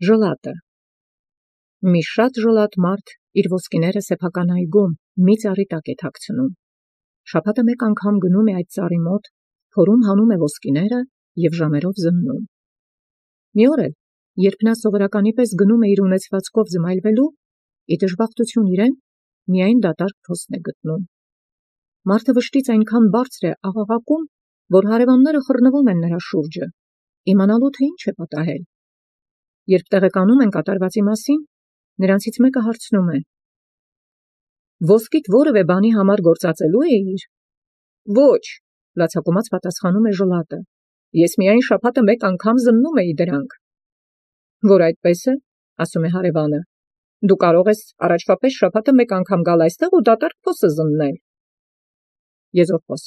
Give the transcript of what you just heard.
Ժլատը։ Մի շատ ժլատ մարդ իր ոսկիները սեփական այգում մի ծառի տակ է թաքցնում։ Շաբաթը մեկ անգամ գնում է այդ ծառի մոտ, փորում հանում է ոսկիները և ժամերով զննում։ Մի օր էլ, երբ նա սովորականի պես գնում է իր ունեցվածքով զմայլվելու, ի դժբախտություն իրեն, միայն դատարկ փոստ է գտնում։ Մարդը վշտից այնքան բարձր է աղաղակում, որ հարևանները խռնվում են նրա շուրջը, իմանալու թե ինչ է պատահել։ Երբ տեղեկանում են կատարվածի մասին, նրանցից մեկը հարցնում է. «Ոսկիդ որևէ բանի համար գործածելու էիր»։ «Ոչ», լացակումած պատասխանում է ժլատը, «ես միայն շաբաթը մեկ անգամ զննում էի դրանք»։ «Որ այդպես է, ասում է հարևանը, դու կարող ես առաջվա պես շաբաթը մեկ անգամ գալ այստեղ ու դատարկ փոսը զննել»։ Եզրափոս։